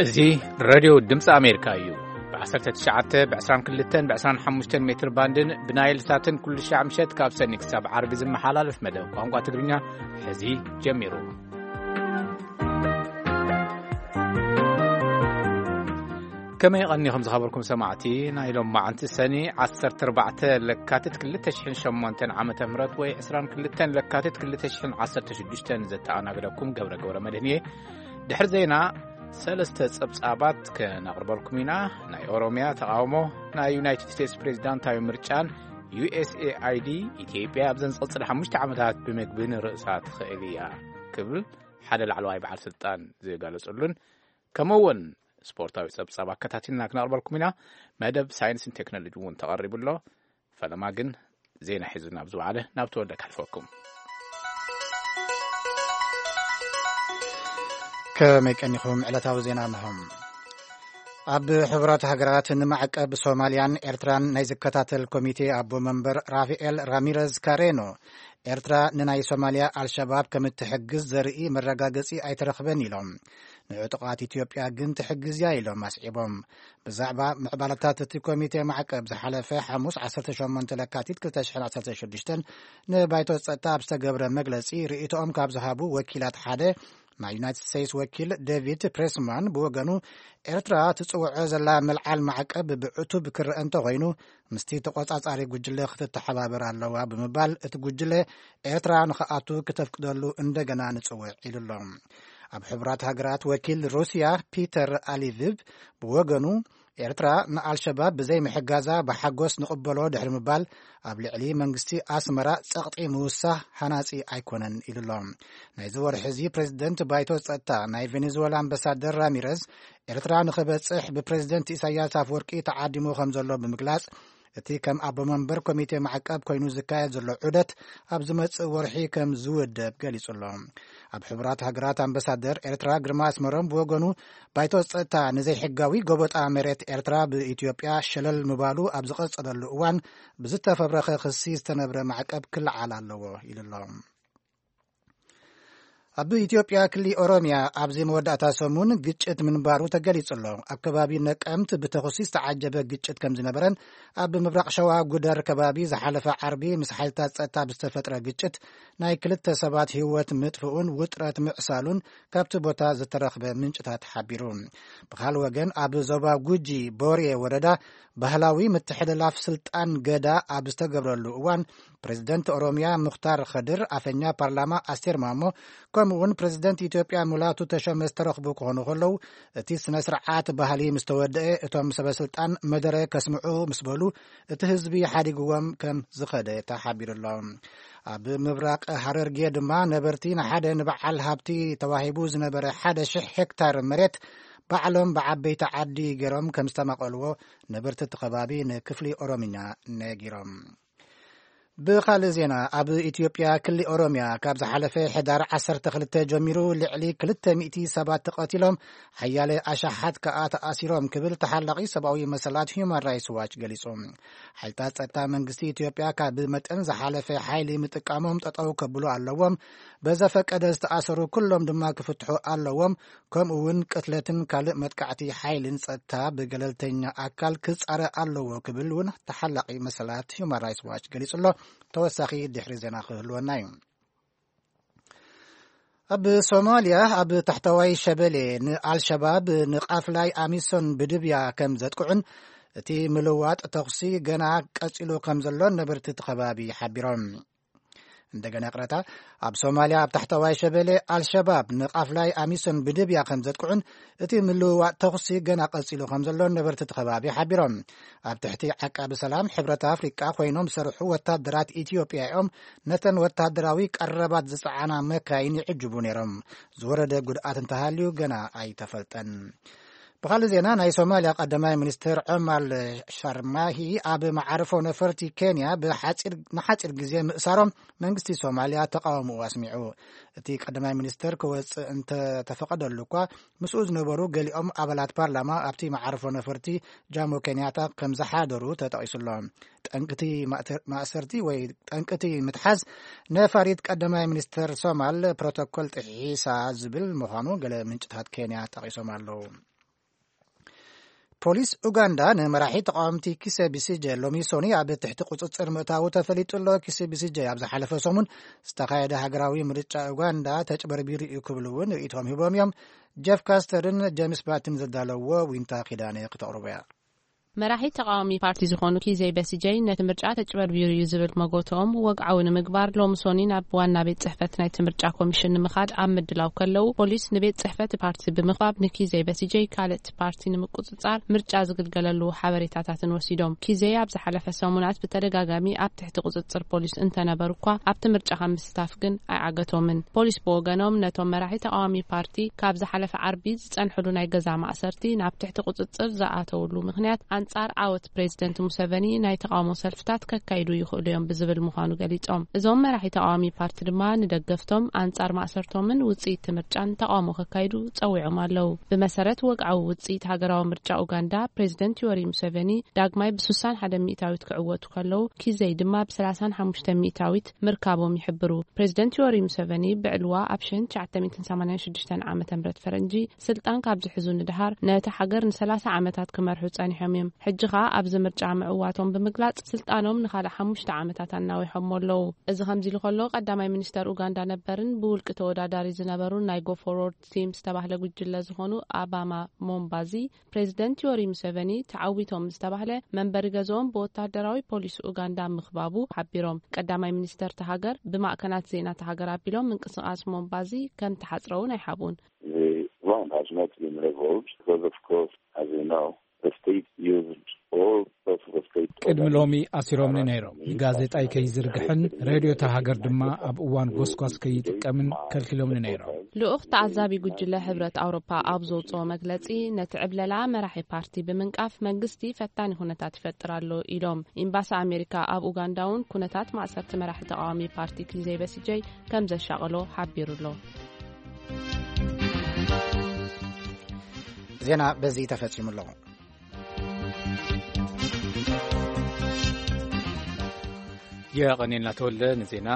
እዚ ሬድዮ ድምፂ ኣሜሪካ እዩ። ብ19፣ ብ22፣ ብ25 ሜትር ባንድን ብናይል ሳትን ኩሉ ሻዕ ምሸት ካብ ሰኒ ክሳብ ዓርቢ ዝመሓላለፍ መደብ ቋንቋ ትግርኛ ሕዚ ጀሚሩ። ከመይ ቀኒኹም ዝኸበርኩም ሰማዕቲ? ናይ ሎም መዓንቲ ሰኒ 14 ለካቲት 2008 ዓመተ ምህረት ወይ 22 ለካቲት 2016 ዘተኣናግደኩም ገብረ ገብረ መድህን እየ። ድሕሪ ዜና ሰለስተ ጸብጻባት ከነቕርበልኩም ኢና። ናይ ኦሮምያ ተቓውሞ፣ ናይ ዩናይትድ ስቴትስ ፕሬዚዳንታዊ ምርጫን ዩ ኤስ ኤ ኣይ ዲ ኢትዮጵያ ኣብዘን ዝቕጽል ሓሙሽተ ዓመታት ብምግብን ርእሳ ትኽእል እያ ክብል ሓደ ላዕለዋይ በዓል ስልጣን ዝገለጸሉን፣ ከምኡ እውን ስፖርታዊ ጸብጻብ ኣከታቲልና ክነቕርበልኩም ኢና። መደብ ሳይንስን ቴክኖሎጂ እውን ተቐሪቡ ኣሎ። ፈለማ ግን ዜና ሒዙ ናብ ዝወዓለ ናብ ተወልደ ከሕልፈኩም። ከመይ ቀኒኹም? ዕለታዊ ዜና እንሆ። ኣብ ሕቡራት ሃገራት ንማዕቀብ ሶማልያን ኤርትራን ናይ ዝከታተል ኮሚቴ ኣቦ መንበር ራፋኤል ራሚረዝ ካሬኖ፣ ኤርትራ ንናይ ሶማልያ ኣልሸባብ ከም እትሕግዝ ዘርኢ መረጋገጺ ኣይተረኽበን ኢሎም። ንዕጡቓት ኢትዮጵያ ግን ትሕግዝ እያ ኢሎም ኣስዒቦም። ብዛዕባ ምዕባለታት እቲ ኮሚቴ ማዕቀብ ዝሓለፈ ሓሙስ 18 ለካቲት 2016 ንባይቶ ጸጥታ ኣብ ዝተገብረ መግለጺ ርእይቶኦም ካብ ዝሃቡ ወኪላት ሓደ፣ ናይ ዩናይትድ ስቴትስ ወኪል ዴቪድ ፕሬስማን ብወገኑ፣ ኤርትራ ትጽውዖ ዘላ ምልዓል ማዕቀብ ብዕቱብ ክረአ እንተኾይኑ፣ ምስቲ ተቆጻጻሪ ጉጅለ ክትተሓባበር ኣለዋ ብምባል፣ እቲ ጉጅለ ኤርትራ ንኽኣቱ ክተፍቅደሉ እንደገና ንጽውዕ ኢሉ ኣሎ። ኣብ ሕቡራት ሃገራት ወኪል ሩስያ ፒተር ኣሊቪቭ ብወገኑ፣ ኤርትራ ንኣልሸባብ ብዘይ ምሕጋዛ ብሓጎስ ንቕበሎ ድሕሪ ምባል፣ ኣብ ልዕሊ መንግስቲ ኣስመራ ጸቕጢ ምውሳኽ ሃናጺ ኣይኮነን ኢሉ ኣሎ። ናይዚ ወርሒ እዚ ፕሬዚደንት ባይቶ ጸጥታ ናይ ቬኔዙዌላ ኣምባሳደር ራሚረዝ፣ ኤርትራ ንኽበጽሕ ብፕሬዚደንት ኢሳያስ ኣፈወርቂ ተዓዲሙ ከም ዘሎ ብምግላጽ፣ እቲ ከም ኣቦ መንበር ኮሚቴ ማዕቀብ ኮይኑ ዝካየድ ዘሎ ዑደት ኣብ ዝመጽእ ወርሒ ከም ዝውደብ ገሊጹ ኣሎ። ኣብ ሕቡራት ሃገራት ኣምባሳደር ኤርትራ ግርማ ኣስመሮም ብወገኑ፣ ባይቶ ጸጥታ ንዘይሕጋዊ ጎበጣ መሬት ኤርትራ ብኢትዮጵያ ሸለል ምባሉ ኣብ ዝቐጸለሉ እዋን፣ ብዝተፈብረኸ ክሲ ዝተነብረ ማዕቀብ ክለዓል ኣለዎ ኢሉ ኣሎ። ኣብ ኢትዮጵያ ክሊ ኦሮምያ ኣብዚ መወዳእታ ሰሙን ግጭት ምንባሩ ተገሊጹ ኣሎ። ኣብ ከባቢ ነቀምት ብተኹሲ ዝተዓጀበ ግጭት ከም ዝነበረን፣ ኣብ ምብራቕ ሸዋ ጉደር ከባቢ ዝሓለፈ ዓርቢ ምስ ሓይልታት ጸጥታ ብዝተፈጥረ ግጭት ናይ ክልተ ሰባት ህይወት ምጥፍኡን ውጥረት ምዕሳሉን ካብቲ ቦታ ዝተረኽበ ምንጭታት ሓቢሩ። ብኻል ወገን ኣብ ዞባ ጉጂ ቦርየ ወረዳ ባህላዊ ምትሕልላፍ ስልጣን ገዳ ኣብ ዝተገብረሉ እዋን፣ ፕሬዚደንት ኦሮምያ ሙኽታር ኸድር፣ ኣፈኛ ፓርላማ ኣስቴር ማሞ፣ ከምኡ እውን ፕሬዚደንት ኢትዮጵያ ሙላቱ ተሾመ ዝተረኽቡ ክኾኑ ከለዉ፣ እቲ ስነ ስርዓት ባህሊ ምስ ተወደአ፣ እቶም ሰበ ስልጣን መደረ ከስምዑ ምስ በሉ፣ እቲ ህዝቢ ሓዲግዎም ከም ዝኸደ ተሓቢሩ ኣሎ። ኣብ ምብራቕ ሃረርጌ ድማ ነበርቲ ንሓደ ንበዓል ሃብቲ ተዋሂቡ ዝነበረ ሓደ ሽሕ ሄክታር መሬት ባዕሎም ብዓበይቲ ዓዲ ገይሮም ከም ዝተማቐልዎ ነበርቲ እቲ ከባቢ ንክፍሊ ኦሮምኛ ነጊሮም። ብኻልእ ዜና፣ ኣብ ኢትዮጵያ ክሊ ኦሮምያ ካብ ዝሓለፈ ሕዳር 12 ጀሚሩ ልዕሊ 200 ሰባት ተቐቲሎም፣ ሓያለ ኣሻሓት ከኣ ተኣሲሮም ክብል ተሓላቒ ሰብኣዊ መሰላት ሁማን ራይትስ ዋች ገሊጹ። ሓይልታት ጸጥታ መንግስቲ ኢትዮጵያ ካብ መጠን ዝሓለፈ ሓይሊ ምጥቃሞም ጠጠው ከብሉ ኣለዎም፣ በዘፈቀደ ዝተኣሰሩ ኩሎም ድማ ክፍትሑ ኣለዎም፣ ከምኡ እውን ቅትለትን ካልእ መጥቃዕቲ ሓይልን ጸጥታ ብገለልተኛ ኣካል ክጻረ ኣለዎ ክብል እውን ተሓላቒ መሰላት ሁማን ራይትስ ዋች ገሊጹ ኣሎ። ተወሳኺ ድሕሪ ዜና ክህልወና እዩ። ኣብ ሶማልያ ኣብ ታሕተዋይ ሸበሌ ንኣልሸባብ ንቃፍላይ ኣሚሶን ብድብያ ከም ዘጥቅዑን እቲ ምልዋጥ ተኹሲ ገና ቀጺሉ ከም ዘሎን ነበርቲ እቲ ከባቢ ሓቢሮም። እንደገና ይቕረታ። ኣብ ሶማልያ ኣብ ታሕተዋይ ሸበሌ ኣልሸባብ ንቃፍላይ ኣሚሶን ብድብያ ከም ዘጥቅዑን እቲ ምልውዋጥ ተኹሲ ገና ቀጺሉ ከም ዘሎን ነበርቲ እቲ ከባቢ ሓቢሮም። ኣብ ትሕቲ ዓቃቢ ሰላም ሕብረት ኣፍሪቃ ኮይኖም ዝሰርሑ ወታደራት ኢትዮጵያ እዮም ነተን ወታደራዊ ቀረባት ዝጸዓና መካይን ይዕጅቡ ነይሮም። ዝወረደ ጉድኣት እንተሃልዩ ገና ኣይተፈልጠን። ብኻልእ ዜና፣ ናይ ሶማልያ ቀዳማይ ሚኒስትር ዑማር ሻርማሂ ኣብ መዓርፎ ነፈርቲ ኬንያ ብሓጺር፣ ንሓጺር ግዜ ምእሳሮም መንግስቲ ሶማልያ ተቃውሞኡ ኣስሚዑ። እቲ ቀዳማይ ሚኒስትር ክወጽእ እንተተፈቐደሉ እኳ፣ ምስኡ ዝነበሩ ገሊኦም ኣባላት ፓርላማ ኣብቲ መዓርፎ ነፈርቲ ጃሞ ኬንያታ ከም ዝሓደሩ ተጠቒሱ ኣሎ። ጠንቅቲ ማእተ-፣ ማእሰርቲ ወይ ጠንቅቲ ምትሓዝ ነፋሪት ቀዳማይ ሚኒስትር ሶማል ፕሮቶኮል ጥሒሳ ዝብል ምዃኑ ገለ ምንጭታት ኬንያ ጠቒሶም ኣለዉ። ፖሊስ ኡጋንዳ ንመራሒ ተቃወምቲ ኪሰ ቢሲጀ ሎሚ ሶኒ ኣብ ትሕቲ ቁጽጽር ምእታዉ ተፈሊጡ ኣሎ። ኪሰ ቢሲጀ ኣብ ዝሓለፈ ሰሙን ዝተኻየደ ሃገራዊ ምርጫ ኡጋንዳ ተጭበርቢሩ እዩ ክብሉ እውን ርእይቶም ሂቦም እዮም። ጀፍ ካስተርን ጀምስ ባትን ዘዳለዎ ዊንታ ኪዳነ ክተቕርቦ እያ። መራሒ ተቃዋሚ ፓርቲ ዝኾኑ ኪዘይ በሲጀይ ነቲ ምርጫ ተጭበርቢሩ እዩ ዝብል መጎትኦም ወግዓዊ ንምግባር ሎሚ ሶኒ ናብ ዋና ቤት ጽሕፈት ናይቲ ምርጫ ኮሚሽን ንምኻድ ኣብ ምድላው ከለዉ፣ ፖሊስ ንቤት ጽሕፈት ፓርቲ ብምኽባብ ንኪዘይ በሲጀይ ካልእ ፓርቲ ንምቁጽጻር ምርጫ ዝግልገለሉ ሓበሬታታትን ወሲዶም። ኪዘይ ኣብ ዝሓለፈ ሰሙናት ብተደጋጋሚ ኣብ ትሕቲ ቁጽጽር ፖሊስ እንተነበሩ እኳ ኣብቲ ምርጫ ካብ ምስታፍ ግን ኣይዓገቶምን። ፖሊስ ብወገኖም ነቶም መራሒ ተቃዋሚ ፓርቲ ካብ ዝሓለፈ ዓርቢ ዝጸንሕሉ ናይ ገዛ ማእሰርቲ ናብ ትሕቲ ቁጽጽር ዝኣተውሉ ምኽንያት ኣንጻር ዓወት ፕሬዚደንት ሙሰቨኒ ናይ ተቃውሞ ሰልፍታት ከካይዱ ይኽእሉ እዮም ብዝብል ምዃኑ ገሊጾም። እዞም መራሒ ተቃዋሚ ፓርቲ ድማ ንደገፍቶም ኣንጻር ማእሰርቶምን ውጽኢት ምርጫን ተቃውሞ ከካይዱ ጸዊዖም ኣለዉ። ብመሰረት ወግዓዊ ውጽኢት ሃገራዊ ምርጫ ኡጋንዳ፣ ፕሬዚደንት ዮሪ ሙሰቨኒ ዳግማይ ብ ስሳን ሓደ ሚእታዊት ክዕወቱ ከለዉ፣ ኪዘይ ድማ ብ ሰላሳን ሓሙሽተ ሚእታዊት ምርካቦም ይሕብሩ። ፕሬዚደንት ዮሪ ሙሰቨኒ ብዕልዋ ኣብ ሽሕን ትሽዓተ ሚእትን ሰማንያን ሽዱሽተን ዓመተ ምህረት ፈረንጂ ስልጣን ካብ ዝሕዙ ንድሃር ነቲ ሃገር ንሰላሳ ዓመታት ክመርሑ ጸኒሖም እዮም። ሕጂ ኸኣ ኣብዚ ምርጫ ምዕዋቶም ብምግላጽ ስልጣኖም ንኻልእ ሓሙሽተ ዓመታት ኣናዊሖሞ ኣለዉ። እዚ ከምዚ ኢሉ ከሎ ቀዳማይ ሚኒስተር ኡጋንዳ ነበርን ብውልቂ ተወዳዳሪ ዝነበሩን ናይ ጎ ፎርወርድ ቲም ዝተባህለ ጉጅለ ዝኾኑ ኣባማ ሞምባዚ ፕሬዚደንት ዮሪ ሙሰቨኒ ተዓዊቶም ዝተባህለ መንበሪ ገዝኦም ብወታደራዊ ፖሊስ ኡጋንዳ ምኽባቡ ሓቢሮም። ቀዳማይ ሚኒስተር እታ ሃገር ብማእከናት ዜና እታ ሃገር ኣቢሎም ምንቅስቓስ ሞምባዚ ከም ተሓጽረ እውን ኣይሓብኡን። The ground has not been leveled because, of course, as you know, the state used all sorts of state ቅድሚ ሎሚ ኣሲሮምኒ ነይሮም። ጋዜጣይ ከይዝርግሕን ሬድዮ እታ ሃገር ድማ ኣብ እዋን ጎስጓስ ከይጥቀምን ከልኪሎምኒ ነይሮም። ልኡኽ ተዓዛቢ ጉጅለ ሕብረት ኣውሮፓ ኣብ ዘውፅኦ መግለፂ፣ ነቲ ዕብለላ መራሒ ፓርቲ ብምንቃፍ መንግስቲ ፈታኒ ኩነታት ይፈጥር ኣሎ ኢሎም። ኤምባሲ ኣሜሪካ ኣብ ኡጋንዳ እውን ኩነታት ማእሰርቲ መራሒ ተቃዋሚ ፓርቲ ኪዘይ በሲጀይ ከም ዘሻቐሎ ሓቢሩ ኣሎ። ዜና በዚ ተፈጺሙ ኣሎ። የቐኔልና ተወልደ ንዜና።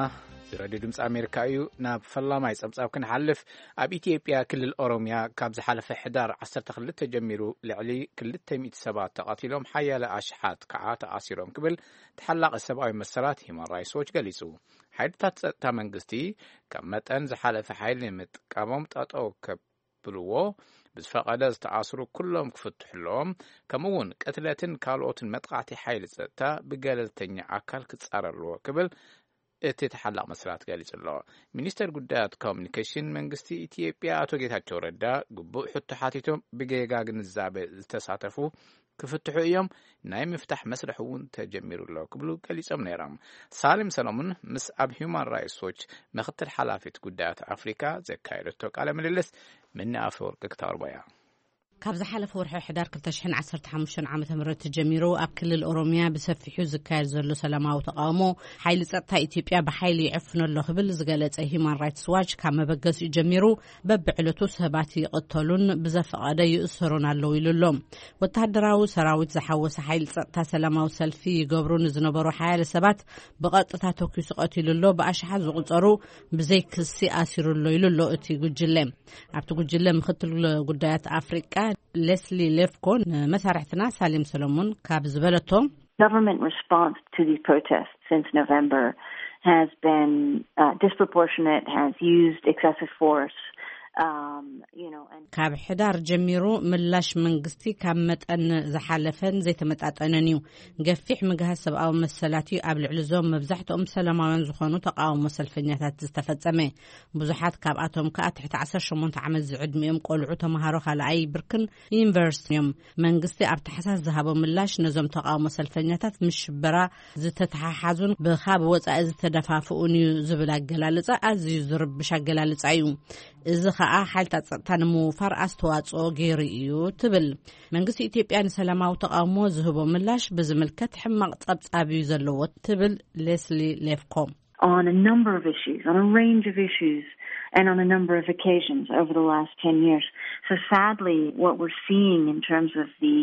እዚ ሬድዮ ድምፂ ኣሜሪካ እዩ። ናብ ፈላማይ ጸብጻብ ክንሓልፍ፣ ኣብ ኢትዮጵያ ክልል ኦሮሚያ ካብ ዝሓለፈ ሕዳር ዓሰርተ ክልተ ጀሚሩ ልዕሊ ክልተ ሚእቲ ሰባት ተቐቲሎም፣ ሓያለ ኣሽሓት ከዓ ተኣሲሮም ክብል ተሓላቒ ሰብኣዊ መሰላት ሂማን ራይትስ ዎች ገሊጹ። ሓይልታት ጸጥታ መንግስቲ ካብ መጠን ዝሓለፈ ሓይሊ ንምጥቃሞም ጠጠው ከብልዎ፣ ብዝፈቐደ ዝተኣስሩ ኩሎም ክፍትሑ ኣለዎም። ከምኡ እውን ቅትለትን ካልኦትን መጥቃዕቲ ሓይሊ ጸጥታ ብገለልተኛ ኣካል ክጻረር ኣለዎ ክብል እቲ ተሓላቕ መስላት ገሊጹ ኣሎ። ሚኒስተር ጉዳያት ኮሚኒኬሽን መንግስቲ ኢትዮጵያ ኣቶ ጌታቸው ረዳ ግቡእ ሕቶ ሓቲቶም ብጌጋ ግንዛበ ዝተሳተፉ ክፍትሑ እዮም፣ ናይ ምፍታሕ መስርሕ እውን ተጀሚሩ ኣሎ ክብሉ ገሊጾም ነይሮም። ሳሊም ሰሎሙን ምስ ኣብ ሂውማን ራይትስ ዎች ምክትል ሓላፊት ጉዳያት ኣፍሪካ ዘካየደቶ ቃለ ምልልስ ምኒ ኣፈወርቂ ክተቕርቦ እያ። ካብ ዝሓለፈ ወርሒ ሕዳር ክልተ ሽሕን ዓሰርተ ሓሙሽተን ዓመተ ምህረት ጀሚሩ ኣብ ክልል ኦሮሚያ ብሰፊሑ ዝካየድ ዘሎ ሰላማዊ ተቃውሞ ሓይሊ ጸጥታ ኢትዮጵያ ብሓይሊ ይዕፍኖ ኣሎ ክብል ዝገለጸ ሂማን ራይትስ ዋች ካብ መበገሲኡ ጀሚሩ በብዕለቱ ሰባት ይቕተሉን ብዘፈቐደ ይእሰሩን ኣለዉ ኢሉ ኣሎ። ወተሃደራዊ ሰራዊት ዝሓወሰ ሓይሊ ጸጥታ ሰላማዊ ሰልፊ ይገብሩ ንዝነበሩ ሓያለ ሰባት ብቐጥታ ተኲሱ ቀቲሉ ኣሎ። ብኣሽሓት ዝቑጸሩ ብዘይ ክሲ ኣሲሩ ኣሎ ኢሉ ኣሎ እቲ ጉጅለ። ኣብቲ ጉጅለ ምክትል ጉዳያት ኣፍሪቃ ሌስሊ ሌፍኮ ንመሳርሕትና ሳሌም ሰሎሞን ካብ ዝበለቶ፣ Government response to the protests since November has been uh, disproportionate, has used excessive force. Um, you know, and ካብ ሕዳር ጀሚሩ ምላሽ መንግስቲ ካብ መጠን ዝሓለፈን ዘይተመጣጠነን እዩ። ገፊሕ ምግሃስ ሰብኣዊ መሰላት እዩ ኣብ ልዕሊ እዞም መብዛሕትኦም ሰላማውያን ዝኾኑ ተቃውሞ ሰልፈኛታት ዝተፈጸመ። ብዙሓት ካብኣቶም ከኣ ትሕቲ ዓሰርተ ሸሞንተ ዓመት ዝዕድሚኦም ቆልዑ፣ ተምሃሮ ካልኣይ ብርክን ዩኒቨርሲቲ እዮም። መንግስቲ ኣብ ታሕሳስ ዝሃቦ ምላሽ ነዞም ተቃውሞ ሰልፈኛታት ምስ ሽበራ ዝተተሓሓዙን ብኻብ ወጻኢ ዝተደፋፍኡን እዩ ዝብል ኣገላልጻ ኣዝዩ ዝርብሽ ኣገላልጻ እዩ። እዚ ኸኣ ሓይልታት ጸጥታ ንምውፋር ኣስተዋጽኦ ገይሩ እዩ ትብል። መንግስቲ ኢትዮጵያ ንሰላማዊ ተቃውሞ ዝህቦ ምላሽ ብዝምልከት ሕማቕ ጸብጻብ እዩ ዘለዎ ትብል ሌስሊ ሌፍኮ። On a number of issues, on a range of issues, and on a number of occasions over the last ten years. So sadly, what we're seeing in terms of the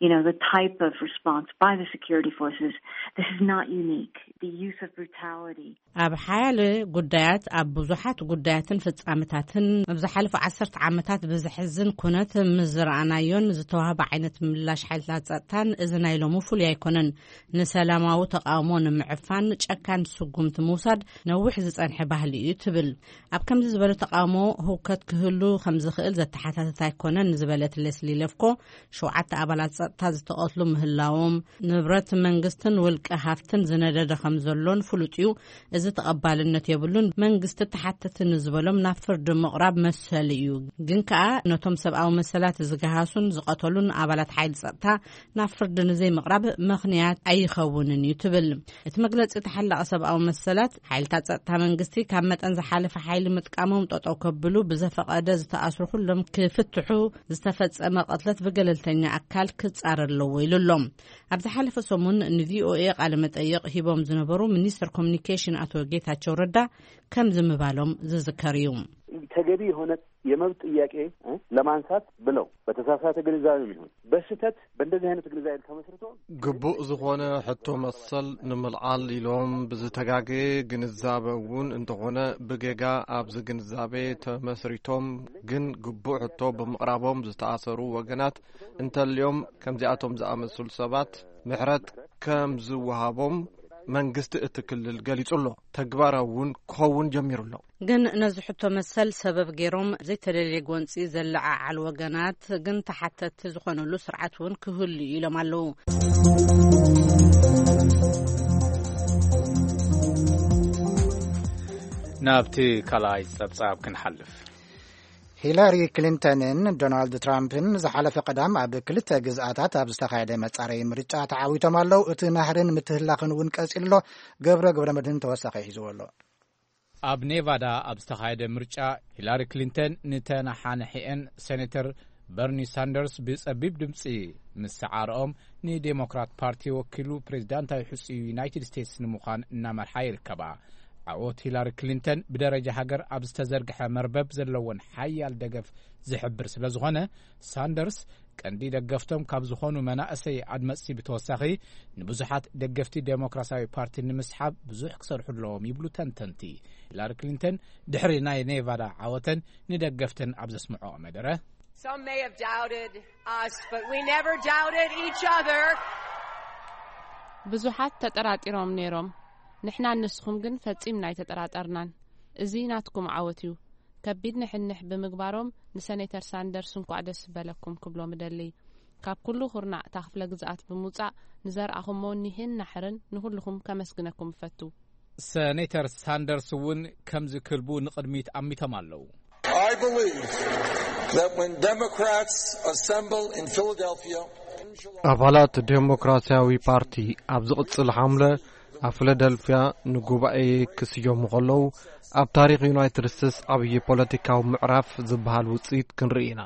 you know, the type of response by the security forces. This is not unique. The use of brutality. ኣብ ሓያለ ጉዳያት፣ ኣብ ብዙሓት ጉዳያትን ፍጻመታትን ኣብ ዝሓለፉ ዓሰርተ ዓመታት ብዘሕዝን ኩነት ምስ ዝረኣናዮን ዝተዋህበ ዓይነት ምላሽ ሓይልታት ጸጥታን፣ እዚ ናይ ሎሚ ፍሉይ ኣይኮነን። ንሰላማዊ ተቃውሞ ንምዕፋን ጨካን ስጉምቲ ምውሳድ ነዊሕ ዝጸንሐ ባህሊ እዩ ትብል። ኣብ ከምዚ ዝበለ ተቃውሞ ህውከት ክህሉ ከም ዝኽእል ዘተሓታተት ኣይኮነን ዝበለት ሌስሊ ለፍኮ፣ ሸውዓተ ኣባላት ጸጥታ ዝተቐትሉ ምህላዎም፣ ንብረት መንግስትን ውልቀ ሃፍትን ዝነደደ ከም ዘሎን ፍሉጥ እዩ። እዚ ተቐባልነት የብሉን። መንግስቲ ተሓተቲ ንዝበሎም ናብ ፍርዲ ምቕራብ መሰል እዩ። ግን ከኣ ነቶም ሰብኣዊ መሰላት ዝገሃሱን ዝቐተሉን ኣባላት ሓይሊ ጸጥታ ናብ ፍርዲ ንዘይምቕራብ ምኽንያት ኣይኸውንን እዩ ትብል። እቲ መግለጺ ተሓላቒ ሰብኣዊ መሰላት፣ ሓይልታት ጸጥታ መንግስቲ ካብ መጠን ዝሓለፈ ሓይሊ ምጥቃሞም ጠጠው ከብሉ፣ ብዘፈቐደ ዝተኣስሩ ኩሎም ክፍትሑ፣ ዝተፈጸመ ቅትለት ብገለልተኛ ኣካል ክጻረ ኣለዎ ኢሉ ኣሎ። ኣብ ዝሓለፈ ሰሙን ንቪኦኤ ቃለ መጠይቕ ሂቦም ዝነበሩ ሚኒስትር ኮሚኒኬሽን ኣቶ ጌታቸው ረዳ ከምዚ ምባሎም ዝዝከር እዩ። ተገቢ የሆነ የመብት ጥያቄ ለማንሳት ብለው በተሳሳተ ግንዛቤ ይሁን በስህተት በእንደዚህ አይነት ግንዛቤ ተመስርቶ ግቡእ ዝኾነ ሕቶ መሰል ንምልዓል ኢሎም ብዝተጋገየ ግንዛበ እውን እንተኾነ ብጌጋ ኣብዚ ግንዛቤ ተመስሪቶም ግን ግቡእ ሕቶ ብምቕራቦም ዝተኣሰሩ ወገናት እንተልዮም ከምዚኣቶም ዝኣመሰሉ ሰባት ምሕረት ከም ዝወሃቦም መንግስቲ እቲ ክልል ገሊጹ ኣሎ። ተግባራዊ እውን ክኸውን ጀሚሩ ኣሎ። ግን ነዚ ሕቶ መሰል ሰበብ ገይሮም ዘይተደልየ ጎንፂ ዘለዓዓል ወገናት ግን ተሓተቲ ዝኾነሉ ስርዓት እውን ክህሉ እዩ ኢሎም ኣለዉ። ናብቲ ካልኣይ ጸብጻብ ክንሓልፍ። ሂላሪ ክሊንተንን ዶናልድ ትራምፕን ዝሓለፈ ቀዳም ኣብ ክልተ ግዝኣታት ኣብ ዝተኻየደ መጻረዪ ምርጫ ተዓዊቶም ኣለዉ። እቲ ናህርን ምትህላኽን እውን ቀጺሉ ኣሎ። ገብረ ገብረ መድህን ተወሳኺ ሒዝዎ ኣሎ። ኣብ ኔቫዳ ኣብ ዝተኻየደ ምርጫ ሂላሪ ክሊንተን ንተነሓነሒአን ሴኔተር በርኒ ሳንደርስ ብጸቢብ ድምጺ ምስ ሰዓረኦም ንዴሞክራት ፓርቲ ወኪሉ ፕሬዚዳንታዊ ሕጹ ዩናይትድ ስቴትስ ንምዃን እናመርሓ ይርከባ። ዓወት ሂላሪ ክሊንተን ብደረጃ ሃገር ኣብ ዝተዘርግሐ መርበብ ዘለወን ሓያል ደገፍ ዝሕብር ስለ ዝኾነ ሳንደርስ ቀንዲ ደገፍቶም ካብ ዝኾኑ መናእሰይ ኣድመፅቲ ብተወሳኺ ንብዙሓት ደገፍቲ ዴሞክራሲያዊ ፓርቲ ንምስሓብ ብዙሕ ክሰርሑ ኣለዎም ይብሉ ተንተንቲ። ሂላሪ ክሊንተን ድሕሪ ናይ ኔቫዳ ዓወተን ንደገፍተን ኣብ ዘስምዖ መደረ Some may have doubted us, but we never doubted each other. ብዙሓት ተጠራጢሮም ነይሮም። ንሕናን ንስኹም ግን ፈጺምና ኣይተጠራጠርናን። እዚ ናትኩም ዓወት እዩ። ከቢድ ንሕንሕ ብምግባሮም ንሰኔተር ሳንደርስ እንኳዕ ደስ በለኩም ክብሎም እደሊ። ካብ ኩሉ ኩርናዕ እታ ክፍለ ግዝኣት ብምውጻእ ንዘርኣኹሞ ኒህን ናሕርን ንኹልኹም ከመስግነኩም እፈቱ። ሰኔተር ሳንደርስ እውን ከምዚ ክልቡ ንቕድሚት ኣሚቶም ኣለዉ። I believe that when Democrats assemble in Philadelphia, ኣባላት ዴሞክራሲያዊ ፓርቲ ኣብ ዝቕጽል ሓምለ ኣብ ፊላደልፊያ ንጉባኤ ክስየሙ ከለዉ ኣብ ታሪኽ ዩናይትድ ስቴትስ ዓብዪ ፖለቲካዊ ምዕራፍ ዝበሃል ውጽኢት ክንርኢ ኢና።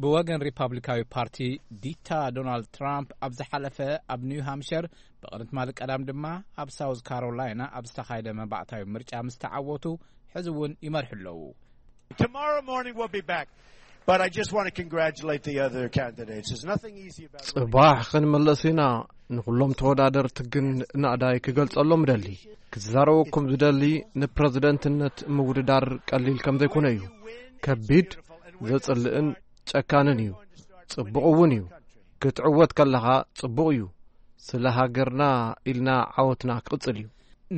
ብወገን ሪፓብሊካዊ ፓርቲ ዲታ ዶናልድ ትራምፕ ኣብ ዝሓለፈ ኣብ ኒው ሃምሸር ብቕድሚ ትማሊ ቀዳም ድማ ኣብ ሳውዝ ካሮላይና ኣብ ዝተኻየደ መባእታዊ ምርጫ ምስ ተዓወቱ ሕዚ እውን ይመርሑ ኣለዉ። Tomorrow morning we'll be back. But I just want to congratulate the other candidates. There's nothing easy about ጽባሕ ክንምለስ ኢና። ንኹሎም ተወዳደርቲ ግን ናእዳይ ክገልጸሎም እደሊ። ክዛረበኩም ዝደሊ ንፕረዚደንትነት ምውድዳር ቀሊል ከም ዘይኮነ እዩ። ከቢድ፣ ዘጽልእን ጨካንን እዩ። ጽቡቕ እውን እዩ። ክትዕወት ከለኻ ጽቡቕ እዩ። ስለ ሃገርና ኢልና ዓወትና ክቕጽል እዩ።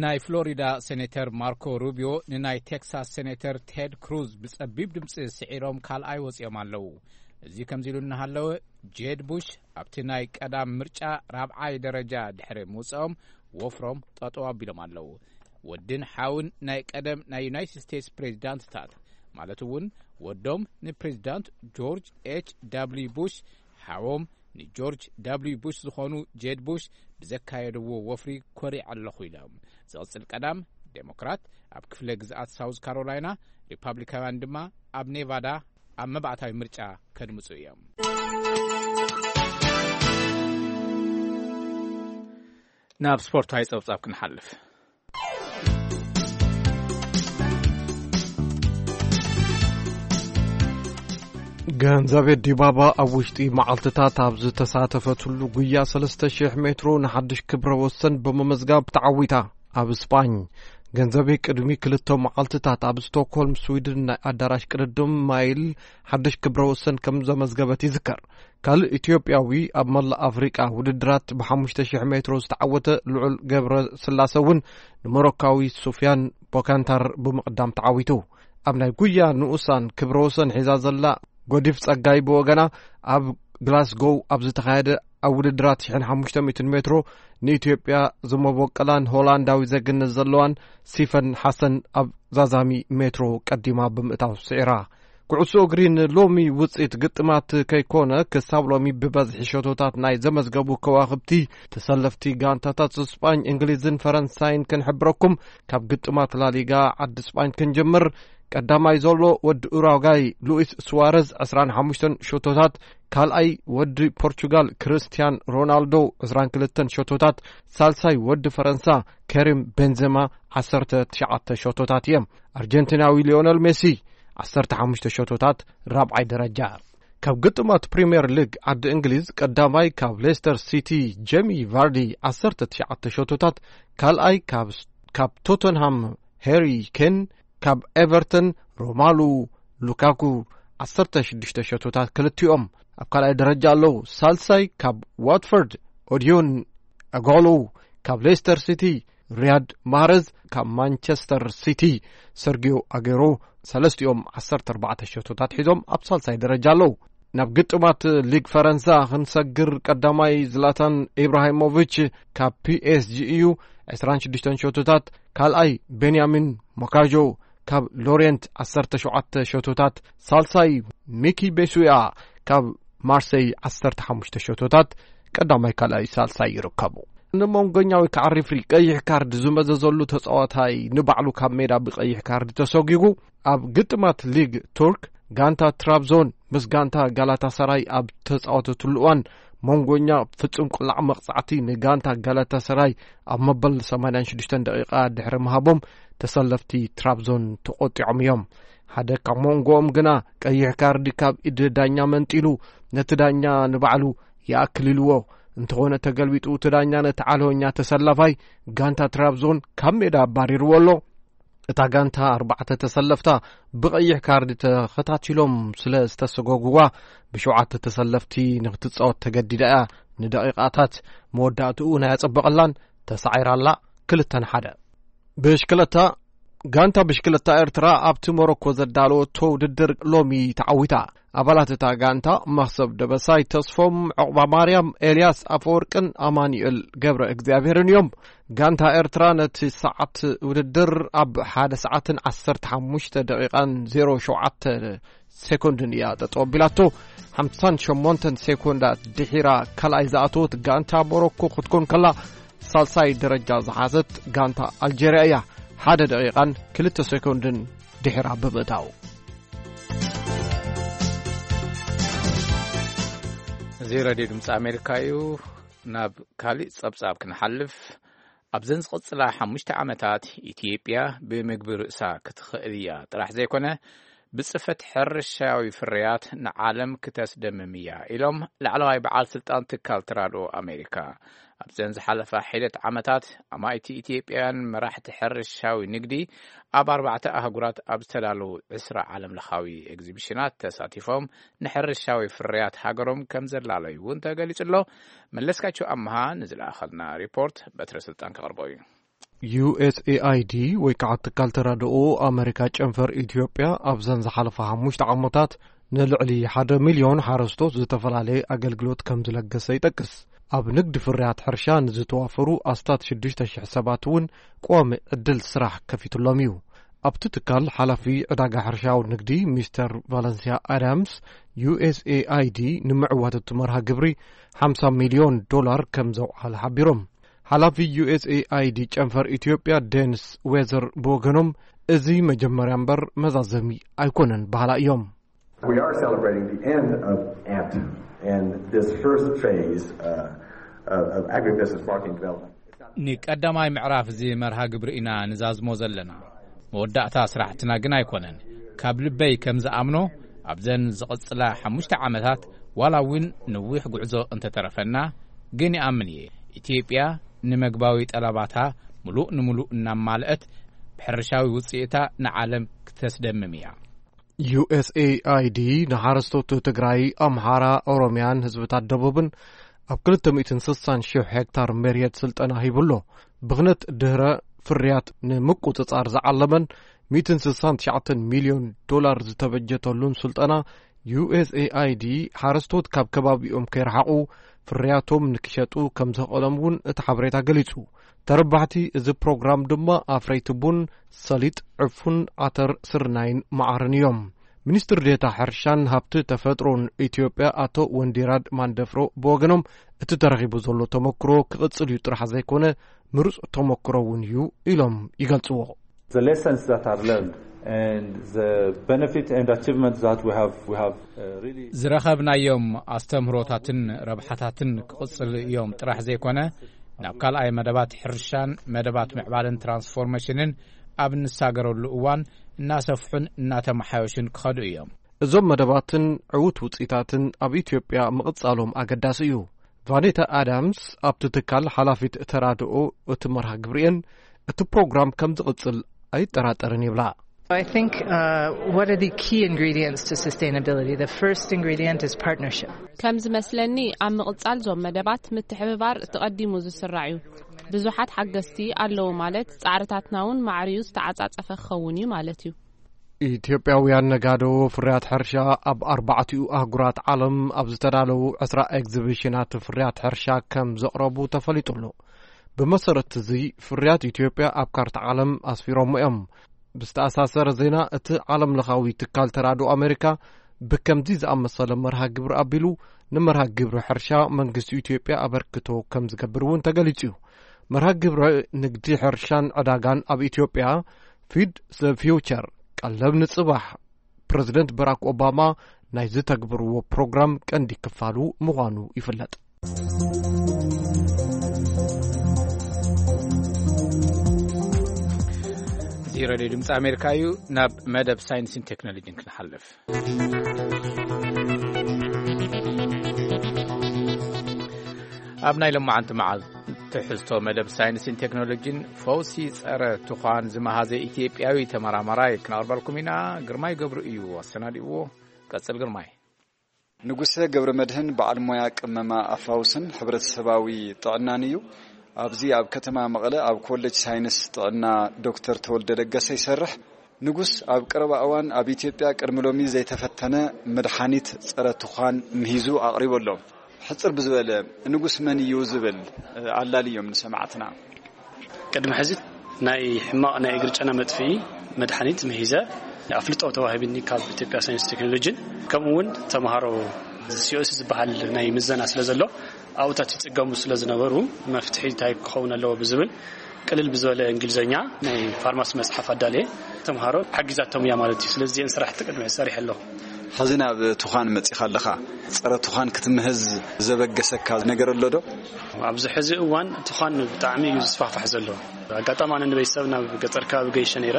ናይ ፍሎሪዳ ሴኔተር ማርኮ ሩቢዮ ንናይ ቴክሳስ ሴኔተር ቴድ ክሩዝ ብጸቢብ ድምጺ ስዒሮም ካልኣይ ወጺኦም ኣለዉ። እዚ ከምዚ ኢሉ እናሃለወ ጄድ ቡሽ ኣብቲ ናይ ቀዳም ምርጫ ራብዓይ ደረጃ ድሕሪ ምውጽኦም ወፍሮም ጠጠው ኣቢሎም ኣለዉ። ወድን ሓውን ናይ ቀደም ናይ ዩናይትድ ስቴትስ ፕሬዚዳንትታት ማለት እውን ወዶም ንፕሬዚዳንት ጆርጅ ኤች ዳብልዩ ቡሽ ሓዎም ንጆርጅ ዳብልዩ ቡሽ ዝኾኑ ጄድ ቡሽ ብዘካየድዎ ወፍሪ ኮሪዐ ኣለኹ ኢሎም። ዝቕጽል ቀዳም ዴሞክራት ኣብ ክፍለ ግዝኣት ሳውዝ ካሮላይና፣ ሪፓብሊካውያን ድማ ኣብ ኔቫዳ ኣብ መባእታዊ ምርጫ ከድምጹ እዮም። ናብ ስፖርታዊ ጸብጻብ ክንሓልፍ። ገንዘቤ ዲባባ ኣብ ውሽጢ መዓልትታት ኣብ ዝተሳተፈትሉ ጉያ ሰለስተ ሺሕ ሜትሮ ንሓድሽ ክብረ ወሰን ብምምዝጋብ ተዓዊታ። ኣብ ስጳኝ፣ ገንዘቤ ቅድሚ ክልተ መዓልትታት ኣብ ስቶክሆልም ስዊድን ናይ ኣዳራሽ ቅድድም ማይል ሓድሽ ክብረ ወሰን ከም ዘመዝገበት ይዝከር። ካልእ ኢትዮጵያዊ ኣብ መላእ ኣፍሪቃ ውድድራት ብ ሓሙሽተ ሺሕ ሜትሮ ዝተዓወተ ልዑል ገብረ ስላሰ እውን ንሞሮካዊ ሱፍያን ቦካንታር ብምቕዳም ተዓዊቱ። ኣብ ናይ ጉያ ንኡሳን ክብረ ወሰን ሒዛ ዘላ ጎዲፍ ጸጋይ ብወገና፣ ኣብ ግላስጎው ኣብ ዝተኻየደ ኣብ ውድድራት ሽሕን ሓሙሽተ ሚእትን ሜትሮ ንኢትዮጵያ ዝመበቀላን ሆላንዳዊ ዜግነት ዘለዋን ሲፈን ሓሰን ኣብ ዛዛሚ ሜትሮ ቀዲማ ብምእታው ስዒራ። ኩዕሶ እግሪ ንሎሚ ውጽኢት ግጥማት ከይኮነ፣ ክሳብ ሎሚ ብበዝሒ ሸቶታት ናይ ዘመዝገቡ ከዋኽብቲ ተሰለፍቲ ጋንታታት ስጳኝ፣ እንግሊዝን ፈረንሳይን ክንሕብረኩም። ካብ ግጥማት ላሊጋ ዓዲ ስጳኝ ክንጅምር። ቀዳማይ ዘሎ ወዲ ኡራጓይ ሉኢስ ሱዋረዝ ዕስራን ሓሙሽተን ሸቶታት፣ ካልኣይ ወዲ ፖርቹጋል ክርስቲያን ሮናልዶ ዕስራን ክልተን ሸቶታት፣ ሳልሳይ ወዲ ፈረንሳ ከሪም ቤንዜማ ዓሰርተ ትሽዓተ ሸቶታት እዮም። ኣርጀንቲናዊ ሊዮነል ሜሲ ዓሰርተ ሓሙሽተ ሸቶታት ራብዓይ ደረጃ። ካብ ግጥማት ፕሪምየር ሊግ ዓዲ እንግሊዝ ቀዳማይ ካብ ሌስተር ሲቲ ጄሚ ቫርዲ ዓሰርተ ትሽዓተ ሸቶታት፣ ካልኣይ ካብ፣ ካብ ቶተንሃም ሄሪ ኬን፣ ካብ ኤቨርተን ሮማሉ ሉካኩ ዓሰርተ ሽዱሽተ ሸቶታት ክልቲኦም ኣብ ካልኣይ ደረጃ ኣለዉ። ሳልሳይ ካብ ዋትፈርድ ኦዲዮን ኣጎሎ፣ ካብ ሌስተር ሲቲ ሪያድ ማህረዝ፣ ካብ ማንቸስተር ሲቲ ሰርጊዮ ኣጌሮ፣ ሰለስቲኦም ዓሰርተ ኣርባዕተ ሸቶታት ሒዞም ኣብ ሳልሳይ ደረጃ ኣለዉ። ናብ ግጥማት ሊግ ፈረንሳ ክንሰግር፣ ቀዳማይ ዝላታን ኢብራሂሞቪች ካብ ፒኤስጂ እዩ፣ ዕስራን ሽዱሽተን ሸቶታት፣ ካልኣይ ቤንያሚን ሞካዦ ካብ ሎሬንት ዓሰርተ ሸውዓተ ሸቶታት፣ ሳልሳይ ሚኪ ቤሱያ ካብ ማርሴይ ዓሰርተ ሓሙሽተ ሸቶታት፣ ቀዳማይ ካልኣይ ሳልሳይ ይርከቡ። ንመንጎኛ ወይ ከዓ ሪፍሪ ቀይሕ ካርድ ዝመዘዘሉ ተጻዋታይ ንባዕሉ ካብ ሜዳ ብቀይሕ ካርድ ተሰጒጉ። ኣብ ግጥማት ሊግ ቱርክ፣ ጋንታ ትራብዞን ምስ ጋንታ ጋላታሳራይ ኣብ ተጻወተትሉ እዋን፣ መንጎኛ ፍጹም ቅላዕ መቕጻዕቲ ንጋንታ ጋላታሳራይ ኣብ መበል ሰማንያን ሽዱሽተን ደቂቓ ድሕሪ ምሃቦም፣ ተሰለፍቲ ትራብዞን ተቖጢዖም እዮም። ሓደ ካብ መንጎኦም ግና ቀይሕ ካርዲ ካብ ኢድ ዳኛ መንጢሉ፣ ነቲ ዳኛ ንባዕሉ ይኣክል ኢልዎ። እንተኾነ ተገልቢጡ፣ እቲ ዳኛ ነቲ ዓለወኛ ተሰላፋይ ጋንታ ትራብዞን ካብ ሜዳ ኣባሪርዎ ኣሎ። እታ ጋንታ ኣርባዕተ ተሰለፍታ ብቐይሕ ካርዲ ተኸታቲሎም ስለ ዝተሰጎግዋ፣ ብሸውዓተ ተሰለፍቲ ንክትጻወት ተገዲዳ እያ። ንደቂቓታት መወዳእትኡ ናይ ኣጸበቐላን ተሳዒራላ። ክልተ ንሓደ። ብሽክለታ። ጋንታ ብሽክለታ ኤርትራ ኣብቲ ሞሮኮ ዘዳለወቶ ውድድር ሎሚ ተዓዊታ። ኣባላት እታ ጋንታ መኽሰብ ደበሳይ ተስፎም፣ ዕቑባ ማርያም፣ ኤልያስ ኣፈወርቅን ኣማኑኤል ገብረ እግዚኣብሔርን እዮም። ጋንታ ኤርትራ ነቲ ሰዓት ውድድር ኣብ ሓደ ሰዓትን ዓሰርተ ሓሙሽተ ደቂቓን ዜሮ ሸውዓተ ሴኮንድን እያ ጠጠው ኣቢላቶ። ሓምሳን ሸሞንተን ሴኮንዳት ድሒራ ካልኣይ ዝኣተወት ጋንታ ሞሮኮ ክትኮን ከላ፣ ሳልሳይ ደረጃ ዝሓዘት ጋንታ ኣልጀርያ እያ፣ ሓደ ደቂቓን ክልተ ሴኮንድን ድሒራ ብምእታው። እዚ ሬድዮ ድምፂ ኣሜሪካ እዩ። ናብ ካሊእ ጸብጻብ ክንሓልፍ፣ ኣብዘን ዝቕጽላ ሓሙሽተ ዓመታት ኢትዮጵያ ብምግቢ ርእሳ ክትኽእል እያ ጥራሕ ዘይኮነ፣ ብጽፈት ሕርሻዊ ፍርያት ንዓለም ክተስደምም እያ ኢሎም ላዕለዋይ በዓል ስልጣን ትካል ተራድኦ ኣሜሪካ። ኣብዘን ዝሓለፋ ሒደት ዓመታት ኣማኢቲ ኢትዮጵያውያን መራሕቲ ሕርሻዊ ንግዲ ኣብ ኣርባዕተ ኣህጉራት ኣብ ዝተዳለዉ ዕስራ ዓለም ለኻዊ ኤግዚቢሽናት ተሳቲፎም ንሕርሻዊ ፍርያት ሃገሮም ከም ዘላለዩ እውን ተገሊጹ ኣሎ። መለስካቸው ኣምሃ ንዝለኣኸልና ሪፖርት በትረ ስልጣን ከቕርቦ እዩ። ዩ ኤስ ኤ ኣይ ዲ ወይ ከዓ ትካል ተራድኦ ኣመሪካ ጨንፈር ኢትዮጵያ ኣብዘን ዝሓለፋ ሓሙሽተ ዓመታት ንልዕሊ ሓደ ሚልዮን ሓረስቶት ዝተፈላለየ ኣገልግሎት ከም ዝለገሰ ይጠቅስ። ኣብ ንግዲ ፍርያት ሕርሻ ንዝተዋፈሩ ኣስታት ሽዱሽተ ሽሕ ሰባት እውን ቀዋሚ ዕድል ስራሕ ከፊትሎም እዩ። ኣብቲ ትካል ሓላፊ ዕዳጋ ሕርሻዊ ንግዲ ሚስተር ቫለንሲያ ኣዳምስ፣ ዩ ኤስ ኤ ኣይ ዲ ንምዕዋት እቲ መርሃ ግብሪ ሓምሳ ሚልዮን ዶላር ከም ዘውዓለ ሓቢሮም። ሓላፊ ዩ ኤስ ኤ ኣይ ዲ ጨንፈር ኢትዮጵያ ዴንስ ዌዘር ብወገኖም፣ እዚ መጀመርያ እምበር መዛዘሚ ኣይኮነን በሃላ እዮም። We are celebrating the end of ant and this first phase uh, of, of agribusiness marketing development. ንቀዳማይ ምዕራፍ እዚ መርሃ ግብሪ ኢና ንዛዝሞ ዘለና። መወዳእታ ስራሕትና ግን ኣይኮነን። ካብ ልበይ ከም ዝኣምኖ፣ ኣብዘን ዝቕጽላ ሓሙሽተ ዓመታት ዋላ እውን ነዊሕ ጉዕዞ እንተተረፈና፣ ግን ይኣምን እየ፣ ኢትዮጵያ ንመግባዊ ጠለባታ ምሉእ ንምሉእ እናማልአት፣ ብሕርሻዊ ውጽኢታ ንዓለም ክተስደምም እያ። ዩ ኤስ ኤ ኣይ ዲ ንሓረስቶት ትግራይ፣ ኣምሓራ፣ ኦሮምያን ህዝብታት ደቡብን ኣብ ክልተ ሚእትን ስሳን ሺሕ ሄክታር መሬት ስልጠና ሂቡሎ። ብኽነት ድህረ ፍርያት ንምቁጽጻር ዝዓለመን ሚእትን ስሳን ትሽዓተን ሚልዮን ዶላር ዝተበጀተሉን ስልጠና፣ ዩ ኤስ ኤ ኣይ ዲ ሓረስቶት ካብ ከባቢኦም ከይረሓቑ ፍርያቶም ንክሸጡ ከም ዘኽእሎም እውን እቲ ሓበሬታ ገሊጹ። ተረባሕቲ እዚ ፕሮግራም ድማ ኣፍረይቲ ቡን፣ ሰሊጥ፣ ዕፉን፣ ዓተር፣ ስርናይን መዓርን እዮም። ሚኒስትር ዴታ ሕርሻን ሃብቲ ተፈጥሮን ኢትዮጵያ ኣቶ ወንዲራድ ማንደፍሮ ብወገኖም፣ እቲ ተረኺቡ ዘሎ ተመክሮ ክቕጽል እዩ ጥራሕ ዘይኮነ፣ ምሩጽ ተመክሮ እውን እዩ ኢሎም ይገልጽዎ። The lessons that are learned and the benefit and achievements that we have, we have uh, really ዝረኸብናዮም ኣስተምህሮታትን ረብሓታትን ክቕጽል እዮም ጥራሕ ዘይኮነ፣ ናብ ካልኣይ መደባት ሕርሻን መደባት ምዕባለን ትራንስፎርሜሽንን ኣብ እንሳገረሉ እዋን እናሰፍሑን እናተመሓዮሽን ክኸዱ እዮም። እዞም መደባትን ዕዉት ውጽኢታትን ኣብ ኢትዮጵያ ምቕጻሎም ኣገዳሲ እዩ። ቫኔታ ኣዳምስ ኣብቲ ትካል ሓላፊት ተራድኦ እቲ መርሃ ግብሪ'የን፣ እቲ ፕሮግራም ከም ዝቕጽል ኣይጠራጠርን ይብላ። I think uh, one of the key ingredients to sustainability, the first ingredient is partnership. ከም ዝመስለኒ ኣብ ምቕጻል ዞም መደባት ምትሕብባር እቲ ቀዲሙ ዝስራዕ እዩ። ብዙሓት ሓገዝቲ ኣለዉ ማለት ጻዕርታትና እውን ማዕርዩ ዝተዓጻጸፈ ክኸውን እዩ ማለት እዩ። ኢትዮጵያውያን ነጋዶ ፍርያት ሕርሻ ኣብ ኣርባዕቲኡ ኣህጉራት ዓለም ኣብ ዝተዳለዉ ዕስራ ኤግዚቢሽናት ፍርያት ሕርሻ ከም ዘቕረቡ ተፈሊጡ ኣሎ። ብመሰረት እዚ ፍርያት ኢትዮጵያ ኣብ ካርታ ዓለም ኣስፊሮሞ እዮም። ብዝተኣሳሰረ ዜና፣ እቲ ዓለም ለኻዊ ትካል ተራድኦ ኣሜሪካ ብከምዚ ዝኣመሰለ መርሃ ግብሪ ኣቢሉ ንመርሃ ግብሪ ሕርሻ መንግስቲ ኢትዮጵያ ኣበርክቶ ከም ዝገብር እውን ተገሊጹ እዩ። መርሃ ግብሪ ንግዲ ሕርሻን ዕዳጋን ኣብ ኢትዮጵያ፣ ፊድ ዘ ፊውቸር፣ ቀለብ ንጽባሕ፣ ፕረዚደንት በራክ ኦባማ ናይ ዝተግብርዎ ፕሮግራም ቀንዲ ክፋሉ ምዃኑ ይፍለጥ። እዚ ሬድዮ ድምፂ ኣሜሪካ እዩ። ናብ መደብ ሳይንስን ቴክኖሎጂን ክንሓልፍ። ኣብ ናይ ሎማዓንቲ መዓልቲ ትሕዝቶ መደብ ሳይንስን ቴክኖሎጂን፣ ፈውሲ ጸረ ቱኻን ዝመሃዘ ኢትዮጵያዊ ተመራማራይ ክነቕርበልኩም ኢና። ግርማይ ገብሩ እዩ ኣሰናዲእዎ። ቀጽል ግርማይ። ንጉሰ ገብረ መድህን በዓል ሞያ ቅመማ ኣፋውስን ሕብረተሰባዊ ጥዕናን እዩ። ኣብዚ ኣብ ከተማ መቐለ ኣብ ኮሌጅ ሳይንስ ጥዕና ዶክተር ተወልደ ለገሰ ይሰርሕ። ንጉስ ኣብ ቀረባ እዋን ኣብ ኢትዮጵያ ቅድሚ ሎሚ ዘይተፈተነ መድሓኒት ጸረ ቱኻን ምሂዙ ኣቕሪቡ ኣሎ። ሕጽር ብዝበለ፣ ንጉስ መን እዩ ዝብል ኣላልዮም ንሰማዕትና። ቅድሚ ሕዚ ናይ ሕማቕ ናይ እግሪ ጨና መጥፍኢ መድሓኒት ምሂዘ ኣፍልጦ ተዋሂብኒ ካብ ኢትዮጵያ ሳይንስ ቴክኖሎጂን፣ ከምኡ እውን ተምሃሮ ሲ ኦ ሲ ዝበሃል ናይ ምዘና ስለ ዘሎ፣ ኣብኡታት ይጽገሙ ስለ ዝነበሩ፣ መፍትሒ እንታይ ክኸውን ኣለዎ ብዝብል ቅልል ብዝበለ እንግሊዝኛ ናይ ፋርማሲ መጽሓፍ ኣዳልየ ተምሃሮ ሓጊዛቶም እያ ማለት እዩ። ስለዚ እዚአን ስራሕቲ ቅድሚ ሕዚ ሰሪሐ ኣለኹ። ሕዚ ናብ ቱኻን መጺኻ ኣለኻ። ጸረ ቱኻን ክትምህዝ ዘበገሰካ ነገር ኣሎ ዶ? ኣብዚ ሕዚ እዋን ቱኻን ብጣዕሚ እዩ ዝስፋሕፋሕ ዘሎ። ኣጋጣሚ ኣነ ንቤተሰብ ናብ ገጠር ከባቢ ገይሸ ነይረ።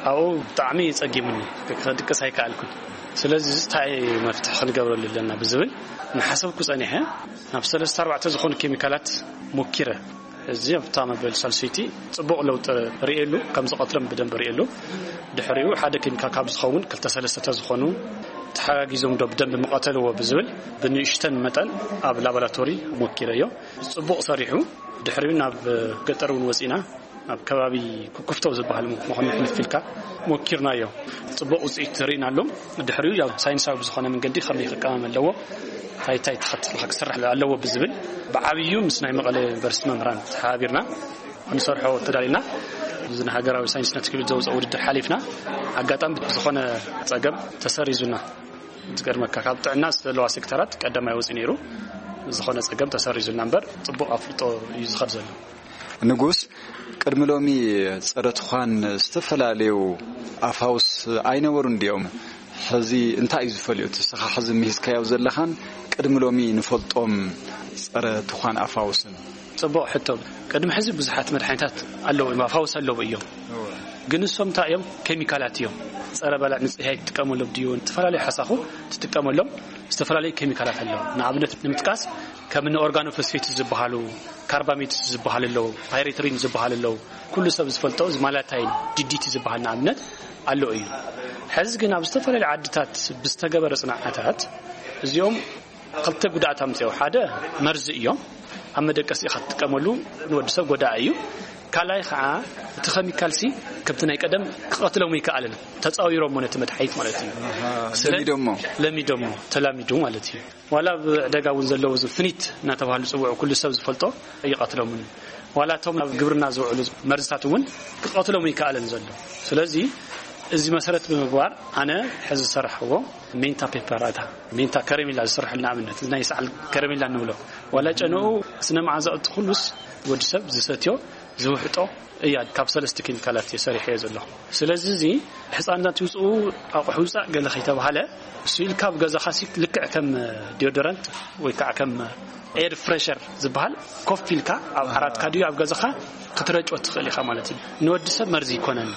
ኣብኡ ብጣዕሚ ጸጊሙኒ፣ ክድቅስ ኣይከኣልኩን። ስለዚ እዚ እንታይ መፍትሒ ክንገብረሉ ኣለና ብዝብል እናሓሰብኩ ጸኒሐ። ናብ ሰለስተ ኣርባዕተ ዝኾኑ ኬሚካላት ሞኪረ። እዚ ኣብታ መበል ሳልሰይቲ ጽቡቕ ለውጢ ርእየሉ፣ ከም ዝቐትሎም ብደንብ ርእየሉ። ድሕሪኡ ሓደ ኬሚካል ካብ ዝኸውን ክልተ ሰለስተ ዝኾኑ ተሓጋጊዞም ዶ ብደንብ ምቐተልዎ ብዝብል ብንእሽተን መጠን ኣብ ላቦራቶሪ ሞኪረዮ። ጽቡቕ ሰሪሑ። ድሕሪኡ ናብ ገጠር እውን ወጺና፣ ኣብ ከባቢ ኩኩፍቶ ዝበሃል መኾኒ ሕልፍ ኢልካ ሞኪርናዮ። ጽቡቕ ውጽኢት ርኢናሉ። ድሕሪኡ ያው ሳይንሳዊ ብዝኾነ መንገዲ ከመይ ክቀመም ኣለዎ፣ እንታይ እንታይ ተኸትልካ ክስራሕ ኣለዎ ብዝብል ብዓብዩ ምስ ናይ መቐለ ዩኒቨርሲቲ መምህራን ተሓባቢርና ክንሰርሖ ተዳሊና። እዚ ንሃገራዊ ሳይንስና ቴክኖሎጂ ዘውፅኦ ውድድር ሓሊፍና። ኣጋጣሚ ብዝኾነ ፀገም ተሰሪዙና። ዝገርመካ ካብ ጥዕና ዘለዋ ሴክተራት ቀዳማይ ወፂኡ ነይሩ። ዝኾነ ፀገም ተሰሪዙልና እምበር ፅቡቕ ኣፍልጦ እዩ ዝኸድ ዘሎ። ንጉስ፣ ቅድሚ ሎሚ ጸረ ትዃን ዝተፈላለዩ ኣፋውስ ኣይነበሩን ድዮም? ሕዚ እንታይ እዩ ዝፈልዮ? እቲ ንስኻ ሕዚ ምሂዝካዮ ዘለኻን ቅድሚ ሎሚ ንፈልጦም ጸረ ትዃን ኣፋውስን? ጽቡቕ ሕቶ። ቅድሚ ሕዚ ብዙሓት መድሓኒታት ኣለዉ እዮም፣ ኣፋውስ ኣለዉ እዮም። እወ። ግን እሶም እንታይ እዮም? ኬሚካላት እዮም። ጸረ በላዕ ንጽህያይ ትጥቀመሎም ድዩ? ዝተፈላለዩ ሓሳኹ ትጥቀመሎም ዝተፈላለዩ ኬሚካላት ኣለዉ። ንኣብነት ንምጥቃስ ከም ኦርጋኖፎስፌት ዝበሃሉ፣ ካርባሜት ዝበሃሉ ኣለዉ፣ ፓይሬትሪን ዝበሃሉ ኣለዉ። ኩሉ ሰብ ዝፈልጦ እዚ ማላታይን ዲዲቲ ዝበሃል ንኣብነት ኣሎ እዩ። ሕዚ ግን ኣብ ዝተፈላለዩ ዓድታት ብዝተገበረ ጽንዓታት እዚኦም ክልተ ጉድኣት ኣምፅኦ። ሓደ መርዚ እዮም። ኣብ መደቀሲ ኢኻ ትጥቀመሉ፣ ንወዲ ሰብ ጎዳኢ እዩ። ካልኣይ ከዓ እቲ ኸሚካልሲ ከምቲ ናይ ቀደም ክቐትሎም ይከኣልን፣ ተፃዊሮሞ ነቲ መድሓኒት ማለት እዩ። ስለ- ለሚዶሞ። ለሚዶሞ፣ ተላሚዱ ማለት እዩ። ዋላ ኣብ ዕደጋ እውን ዘለዉ እዚ ፍኒት እናተባህሉ ዝፅውዑ ኩሉ ሰብ ዝፈልጦ ይቐትሎምን፣ ዋላ እቶም ኣብ ግብርና ዝውዕሉ መርዝታት እውን ክቐትሎም ይከኣልን ዘሎ። ስለዚ እዚ መሰረት ብምግባር ኣነ ሕዚ ዝሰራሕዎ ሜንታ ፔፐር ኣታ ሜንታ ከረሜላ ዝስርሐሉ ንኣብነት እዚ ናይ ሰዓል ከረሜላ ንብሎ ዋላ ጨንኡ ስነ መዓዛኡ እቲ ኩሉስ ወዲ ሰብ ዝሰትዮ ዝውሕጦ እያ። ካብ ሰለስተ ኬሚካላት እየ ሰሪሐዮ ዘለኹ። ስለዚ እዚ ሕፃናት ይውፅኡ ኣቑሑ ውፃእ ገለ ከይተባሃለ እሱ ኢልካ ኣብ ገዛኻ ሲ ልክዕ ከም ዲዮደረንት ወይ ከዓ ከም ኤር ፍሬሸር ዝበሃል ኮፍ ኢልካ ኣብ ዓራትካ ድዩ ኣብ ገዛኻ ክትረጮ ትኽእል ኢኻ ማለት እዩ። ንወዲ ሰብ መርዚ ይኮነን።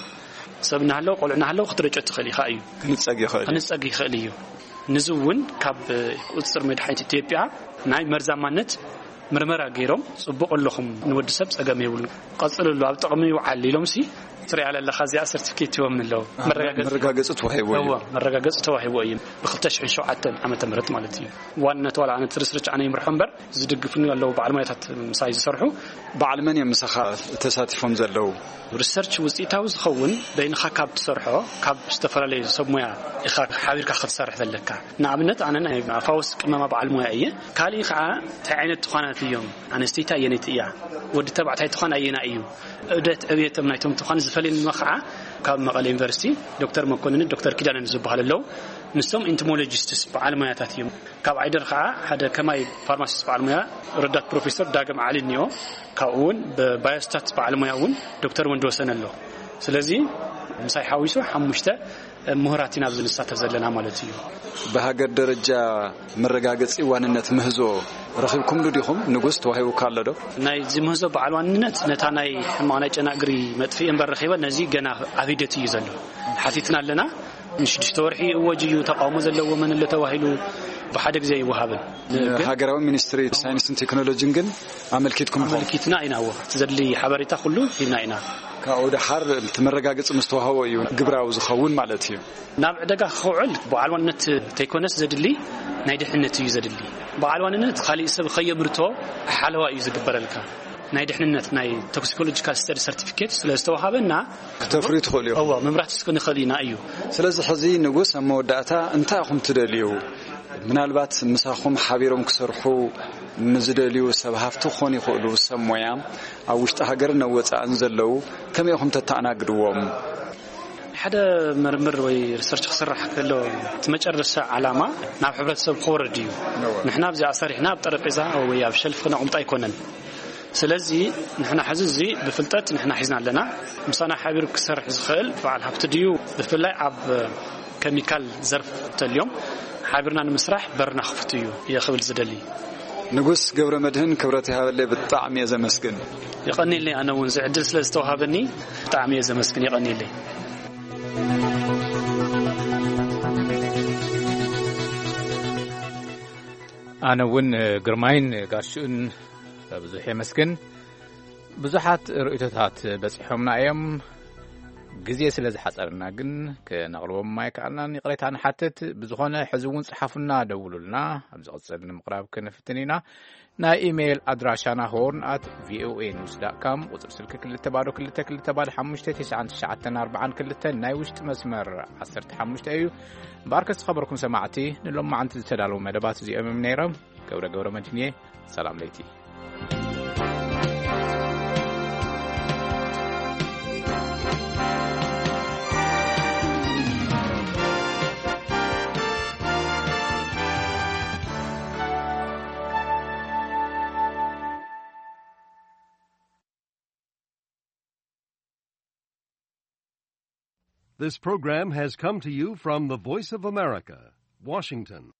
ሰብ እናሃለወ ቆልዑ እናሃለዉ ክትረጮ ትኽእል ኢኻ እዩ። ክንጸግ ይኽእል እዩ። ክንጸግ ይኽእል እዩ። ንዚ እውን ካብ ቁፅፅር መድሓኒት ኢትዮጵያ ናይ መርዛማነት ምርመራ ገይሮም ጽቡቕ ኣለኹም ንወዲ ሰብ ጸገም የብሉ ቀጽልሉ ኣብ ጥቕሚ ይውዓል ኢሎም ሲ ትሪኣ ኣለኻ እዚኣ ሰርቲፊኬት ይቦም ኣለዉ። መረጋገጺ ተዋሂቦ እዩ። መረጋገጺ ተዋሂቦ እዩ። ብ2007 ዓመተ ምህረት ማለት እዩ። ዋንነት ዋላ ኣነ ትርስርች ኣነ ይምርሖ እምበር ዝድግፍኒ ኣለዉ በዓል ሞያታት ምሳይ ዝሰርሑ። በዓል መን እዮም ምሳኻ ተሳቲፎም ዘለዉ? ሪሰርች ውፅኢታዊ ዝኸውን በይንኻ ካብ ትሰርሖ ካብ ዝተፈላለዩ ሰብ ሞያ ኢኻ ሓቢርካ ክትሰርሕ ዘለካ። ንኣብነት ኣነ ናይ ኣፋውስ ቅመማ በዓል ሞያ እየ። ካልእ ከዓ እንታይ ዓይነት ትኳናት እዮም? ኣነስተይቲ ኣየነይቲ እያ? ወዲ ተባዕታይ ትኳን ኣየና እዩ? እደት ዕብየቶም ናይቶም ትኳን ዝፈልየኒ ከዓ ካብ መቐለ ዩኒቨርሲቲ ዶክተር መኮንንን ዶክተር ኪዳነን ዝበሃሉ ኣለዉ። ንሶም ኢንቲሞሎጂስትስ በዓል ሞያታት እዮም። ካብ ዓይደር ከዓ ሓደ ከማይ ፋርማሲስት በዓል ሞያ ረዳት ፕሮፌሰር ዳግም ዓሊ እኒኦ። ካብኡ እውን ብባዮስታት በዓል ሞያ እውን ዶክተር ወንድወሰን ኣሎ። ስለዚ ምሳይ ሓዊሱ ሓሙሽተ ምሁራት ኢና ኣብዚ ንሳተፍ ዘለና ማለት እዩ። ብሃገር ደረጃ መረጋገጺ ዋንነት ምህዞ ረኺብኩምሉ ዲኹም? ንጉስ ተዋሂቡካ ኣሎ ዶ? ናይዚ ምህዞ በዓል ዋንነት ነታ ናይ ሕማቕ ናይ ጨና እግሪ መጥፍኢ እምበር ረኺበ ነዚ ገና ኣብ ሂደት እዩ ዘሎ። ሓቲትና ኣለና። ንሽዱሽተ ወርሒ እወጅ እዩ ተቃውሞ ዘለዎ መን ኣሎ ተባሂሉ ብሓደ ግዜ ኣይወሃብን። ሃገራዊ ሚኒስትሪ ሳይንስን ቴክኖሎጂን ግን ኣመልኪትኩም ኢኹም? ኣመልኪትና ኢና። እዎ፣ እቲ ዘድሊ ሓበሬታ ኩሉ ሂብና ኢና። ካብኡ ደሓር እቲ መረጋገፂ ምስ ተዋህቦ እዩ ግብራዊ ዝኸውን ማለት እዩ። ናብ ዕደጋ ክውዕል በዓል ዋንነት ተይኮነስ ዘድሊ ናይ ድሕነት እዩ ዘድሊ። በዓል ዋንነት ካሊእ ሰብ ከየምርቶ ሓለዋ እዩ ዝግበረልካ። ናይ ድሕንነት ናይ ቶክሲኮሎጂካል ስተዲ ሰርቲፊኬት ስለ ዝተዋሃበና ክተፍርዩ ትኽእሉ እዮም። እዎ፣ ምምራት እስከ ንኽእል ኢና እዩ። ስለዚ ሕዚ ንጉስ ኣብ መወዳእታ እንታይ ኢኹም ትደልዩ? ምናልባት ምሳኹም ሓቢሮም ክሰርሑ ንዝደልዩ ሰብ ሃፍቲ ክኾኑ ይኽእሉ፣ ሰብ ሞያ ኣብ ውሽጢ ሃገርን ኣብ ወፃእን ዘለዉ ከመይ ኢኹም ተተኣናግድዎም? ሓደ ምርምር ወይ ሪሰርች ክስራሕ ከሎ እቲ መጨረሻ ዓላማ ናብ ሕብረተሰብ ክወርድ እዩ። ንሕና ኣብዚኣ ሰሪሕና ኣብ ጠረጴዛ ወይ ኣብ ሸልፍ ክነቕምጦ ኣይኮነን። ስለዚ ንሕና ሕዚ እዚ ብፍልጠት ንሕና ሒዝና ኣለና። ምሳና ሓቢሩ ክሰርሕ ዝኽእል በዓል ሃፍቲ ድዩ? ብፍላይ ኣብ ከሚካል ዘርፍ ተልዮም ሓቢርና ንምስራሕ በርና ክፍት እዩ እየ ክብል ዝደሊ። ንጉስ ገብረ መድህን ክብረት ይሃበለይ፣ ብጣዕሚ እየ ዘመስግን። የቐንየለይ። ኣነ እውን እዚ ዕድል ስለ ዝተዋሃበኒ ብጣዕሚ እየ ዘመስግን። የቐንየለይ። ኣነ እውን ግርማይን ጋሽኡን ብዙሕ የመስግን። ብዙሓት ርእይቶታት በጺሖምና እዮም። ግዜ ስለ ዝሓጸረና ግን ክነቕርቦም ኣይከኣልናን፣ ይቕሬታ ንሓትት። ብዝኾነ ሕዚ እውን ጽሓፉና፣ ደውሉልና። ኣብ ዝቕጽል ንምቕራብ ክንፍትን ኢና። ናይ ኢሜይል ኣድራሻና ሆርን ኣት ቪኦኤ ኒውስ ዳት ካም፣ ቁጽሪ ስልኪ ክልተ ባዶ ክልተ ክልተ ባዶ ሓሙሽተ ትሽዓን ትሽዓተን ኣርባዓን ክልተን፣ ናይ ውሽጢ መስመር ዓሰርተ ሓሙሽተ እዩ። እምበኣርከስ ዝኸበርኩም ሰማዕቲ፣ ንሎማዓንቲ ዝተዳለዉ መደባት እዚኦም እዮም ነይሮም። ገብረ ገብረ መድህን እየ። ሰላም ለይቲ። This program has come to you from the Voice of America, Washington.